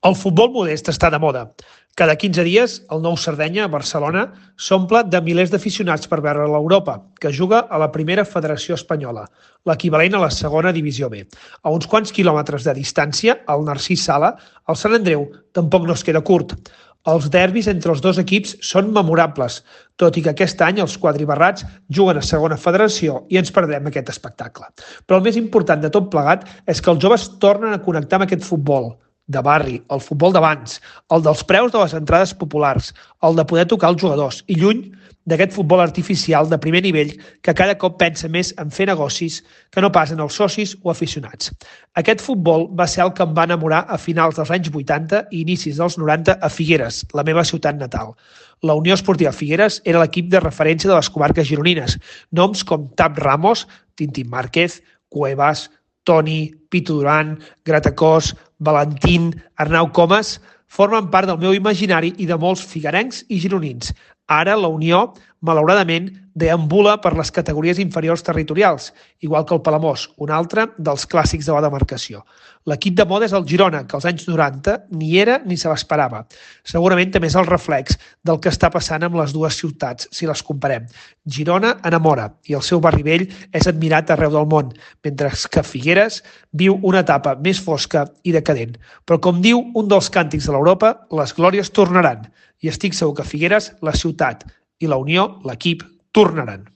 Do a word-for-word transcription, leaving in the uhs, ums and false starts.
El futbol modest està de moda. Cada quinze dies, el nou Sardenya, a Barcelona, s'omple de milers d'aficionats per veure l'Europa, que juga a la primera federació espanyola, l'equivalent a la segona divisió B. A uns quants quilòmetres de distància, al Narcís Sala, el Sant Andreu tampoc no es queda curt. Els derbis entre els dos equips són memorables, tot i que aquest any els quadribarrats juguen a segona federació i ens perdrem aquest espectacle. Però el més important de tot plegat és que els joves tornen a connectar amb aquest futbol de barri, el futbol d'abans, el dels preus de les entrades populars, el de poder tocar els jugadors i lluny d'aquest futbol artificial de primer nivell que cada cop pensa més en fer negocis que no pas en els socis o aficionats. Aquest futbol va ser el que em va enamorar a finals dels anys vuitanta i inicis dels noranta a Figueres, la meva ciutat natal. La Unió Esportiva Figueres era l'equip de referència de les comarques gironines. Noms com Tap Ramos, Tintín Márquez, Cuevas, Toni, Pitu Duran, Gratacós, Valentín, Arnau Comas formen part del meu imaginari i de molts figuerencs i gironins. Ara la Unió, malauradament, deambula per les categories inferiors territorials, igual que el Palamós, un altre dels clàssics de la demarcació. L'equip de moda és el Girona, que als anys noranta ni era ni se l'esperava. Segurament també és el reflex del que està passant amb les dues ciutats, si les comparem. Girona enamora i el seu barri vell és admirat arreu del món, mentre que Figueres viu una etapa més fosca i decadent. Però com diu un dels càntics de l'Europa, les glòries tornaran. I estic segur que Figueres, la ciutat, i la Unió, l'equip, tornaran.